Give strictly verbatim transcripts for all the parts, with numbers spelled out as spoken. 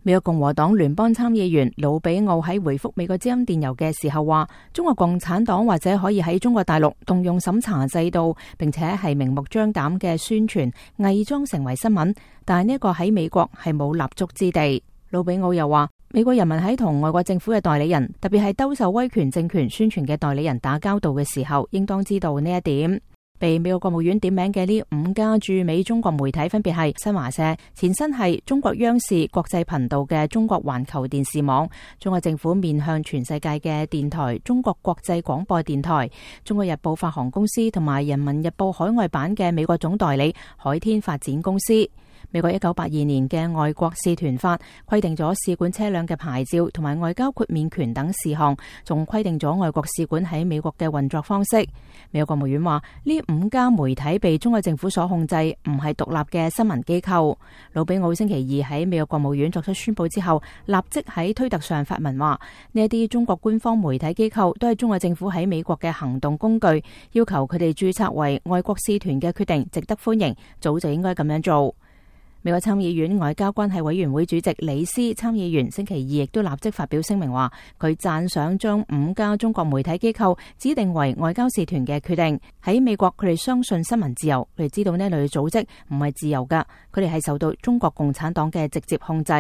美國共和黨聯邦參議員魯比奧喺回覆美國之音電郵嘅時候話，中國共產黨或者可以喺中國大陸動用審查制度，並且係明目張膽嘅宣傳，偽裝成為新聞，但係呢一個喺美國係冇立足之地。魯比奧又話，美國人民喺同外國政府嘅代理人，特別係兜售威權政權宣傳嘅代理人打交道嘅時候，應當知道呢一點。被美國國務院點名嘅呢五家駐美中國媒體分別係新華社、前身係中國央視國際頻道嘅中國環球電視網、中國政府面向全世界嘅電台中國國際廣播電台、中國日報發行公司同埋人民日報海外版嘅美國總代理海天發展公司。美國一九八二年嘅外國使團法規定咗使館車輛嘅牌照同埋外交豁免權等事項，仲規定咗外國使館喺美國嘅運作方式。美國國務院話，呢五家媒體被中國政府所控制，唔係獨立嘅新聞機構。魯比奧星期二喺美國國務院作出宣佈之後，立即喺推特上發文話，呢一啲中國官方媒體機構都係中國政府喺美國嘅行動工具，要求佢哋註冊為外國使團嘅決定值得歡迎，早就應該咁樣做。美國參議院外交關係委員會主席李斯參議員星期二亦都立即發表聲明話，佢讚賞將五家中國媒體機構指定為外交使團嘅決定。喺美國，佢哋相信新聞自由，佢哋知道呢類組織唔係自由噶，佢哋係受到中國共產黨嘅直接控制。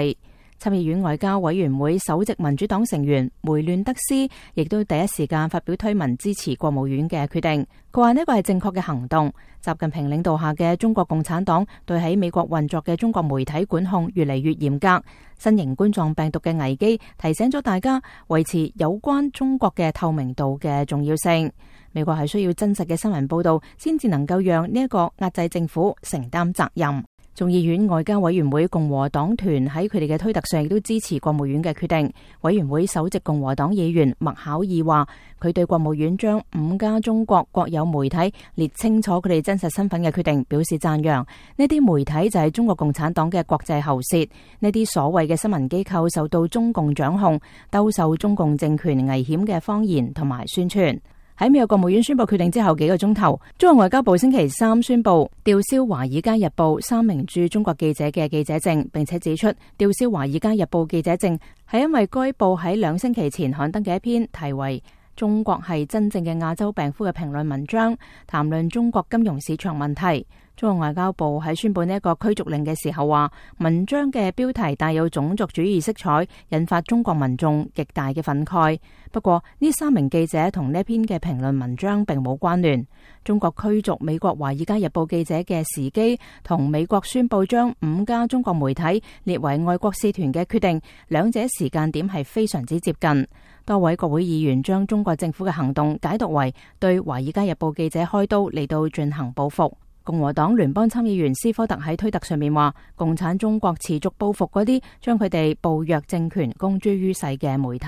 參議院外交委員會首席民主黨成員梅亂德斯亦都第一時間發表推文支持國務院嘅決定。佢話呢個係正確嘅行動。習近平領導下嘅中國共產黨對喺美國運作嘅中國媒體管控越嚟越嚴格。新型冠狀病毒嘅危機提醒咗大家維持有關中國嘅透明度嘅重要性。美國係需要真實嘅新聞報道，先至能夠讓呢一個壓制政府承擔責任。眾議院外交委員會共和黨團喺佢哋嘅推特上亦都支持國務院嘅決定。委員會首席共和黨議員麥考爾話，佢對國務院將五家中國國有媒體列清楚佢哋真實身份嘅決定表示讚揚。呢啲媒體就係中國共產黨嘅國際喉舌，呢啲所謂嘅新聞機構受到中共掌控，兜售中共政權危險嘅謊言同埋宣傳。喺美國國務院宣布決定之後幾個鐘頭，中國外交部星期三宣布吊銷《華爾街日報》三名駐中國記者嘅記者證，並且指出吊銷《華爾街日報》記者證係因為該報喺兩星期前刊登嘅一篇題為中國係真正嘅亞洲病夫嘅評論文章，談論中國金融市場問題。中國外交部喺宣布呢一個驅逐令嘅時候話，文章嘅標題帶有種族主義色彩，引發中國民眾極大嘅憤慨。不過呢三名記者同呢篇嘅評論文章並冇關聯。中國驅逐美國《華爾街日報》記者嘅時機，同美國宣布將五家中國媒體列為外國使團嘅決定，兩者時間點係非常之接近。多位國會議員將中國政府嘅行動解讀為對《華爾街日報》記者開刀嚟到進行報復。共和黨聯邦參議員斯科特喺推特上面話，共產中國持續報復嗰啲將佢哋暴虐政權公諸於世嘅媒體。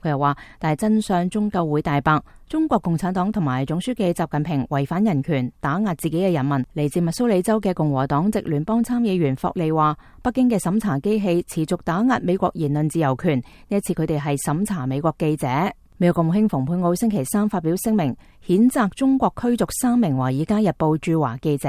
佢又話，但係真相終究會大白，中國共產黨同埋總書記習近平違反人權，打壓自己嘅人民。嚟自密蘇里州嘅共和黨籍聯邦參議員霍利話，北京嘅審查機器持續打壓美國言論自由權，呢一次佢哋係審查美國記者。美國國務卿蓬佩奧星期三發表聲明，譴責中國驅逐三名《華爾街日報》駐華記者。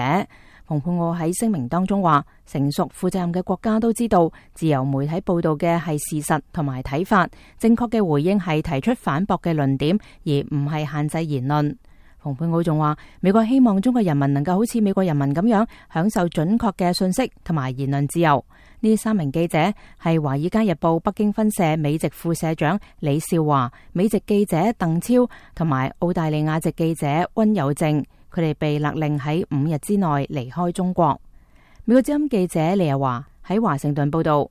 蓬佩奧喺聲明當中話，成熟負責任嘅國家都知道，自由媒體報道嘅係事實同埋睇法，正確嘅回應係提出反駁嘅論點，而唔係限制言論。蓬佩奧仲話，美國希望中國人民能夠好似美國人民咁樣享受準確嘅信息同埋言論自由。呢三名記者係《華爾街日報》北京分社美籍副社長李少華、美籍記者鄧超同埋澳大利亞籍記者溫有正，佢哋被勒令喺五日之內離開中國。美國之音記者李日華喺華盛頓報道。